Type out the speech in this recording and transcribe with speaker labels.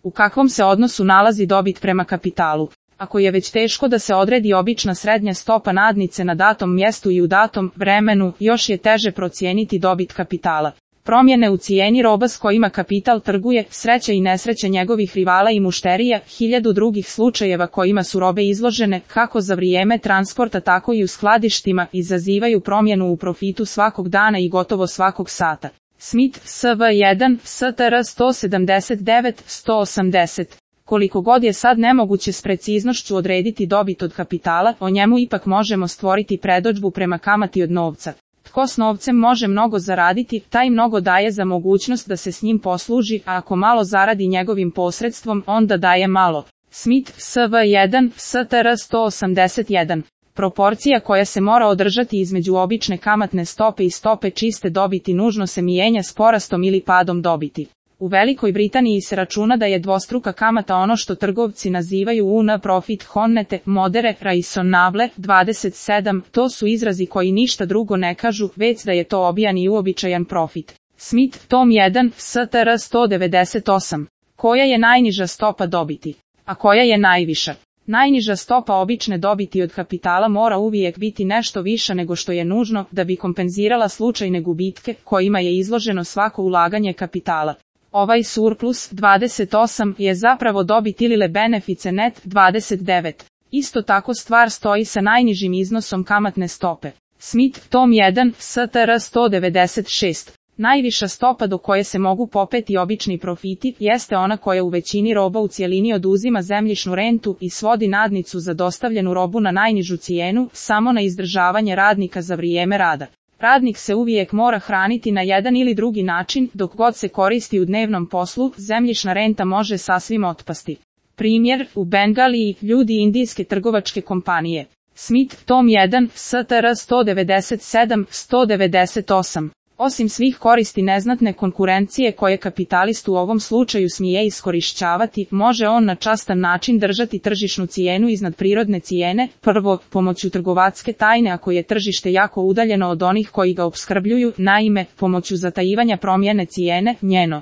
Speaker 1: U kakvom se odnosu nalazi dobit prema kapitalu? Ako je već teško da se odredi obična srednja stopa nadnice na datom mjestu i u datom vremenu, još je teže procijeniti dobit kapitala. Promjene u cijeni roba s kojima kapital trguje, sreća i nesreća njegovih rivala i mušterija, hiljadu drugih slučajeva kojima su robe izložene, kako za vrijeme transporta tako i u skladištima, izazivaju promjenu u profitu svakog dana i gotovo svakog sata. Smith, SV1, STR 179-180. Koliko god je sad nemoguće s preciznošću odrediti dobit od kapitala, o njemu ipak možemo stvoriti predodžbu prema kamati od novca. Tko s novcem može mnogo zaraditi, taj mnogo daje za mogućnost da se s njim posluži, a ako malo zaradi njegovim posredstvom, onda daje malo. Smith, SV1, STR 181. Proporcija koja se mora održati između obične kamatne stope i stope čiste dobiti nužno se mijenja s porastom ili padom dobiti. U Velikoj Britaniji se računa da je dvostruka kamata ono što trgovci nazivaju un profit honnete, modere, raisonnable, 27, to su izrazi koji ništa drugo ne kažu, već da je to obijan i uobičajan profit. Smith, tom 1, STR 198. Koja je najniža stopa dobiti? A koja je najviša? Najniža stopa obične dobiti od kapitala mora uvijek biti nešto viša nego što je nužno da bi kompenzirala slučajne gubitke kojima je izloženo svako ulaganje kapitala. Ovaj surplus, 28, je zapravo dobit ili benefice net, 29. Isto tako stvar stoji sa najnižim iznosom kamatne stope. Smith, tom 1, STR 196. Najviša stopa do koje se mogu popeti obični profiti jeste ona koja u većini roba u cjelini oduzima zemljišnu rentu i svodi nadnicu za dostavljenu robu na najnižu cijenu, samo na izdržavanje radnika za vrijeme rada. Radnik se uvijek mora hraniti na jedan ili drugi način, dok god se koristi u dnevnom poslu, zemljišna renta može sasvim otpasti. Primjer, u Bengaliji, ljudi indijske trgovačke kompanije. Smith, tom 1, STR 197-198. Osim svih koristi neznatne konkurencije koje kapitalist u ovom slučaju smije iskorišćavati, može on na častan način držati tržišnu cijenu iznad prirodne cijene, prvo, pomoću trgovatske tajne ako je tržište jako udaljeno od onih koji ga opskrbljuju, naime, pomoću zatajivanja promjene cijene, njeno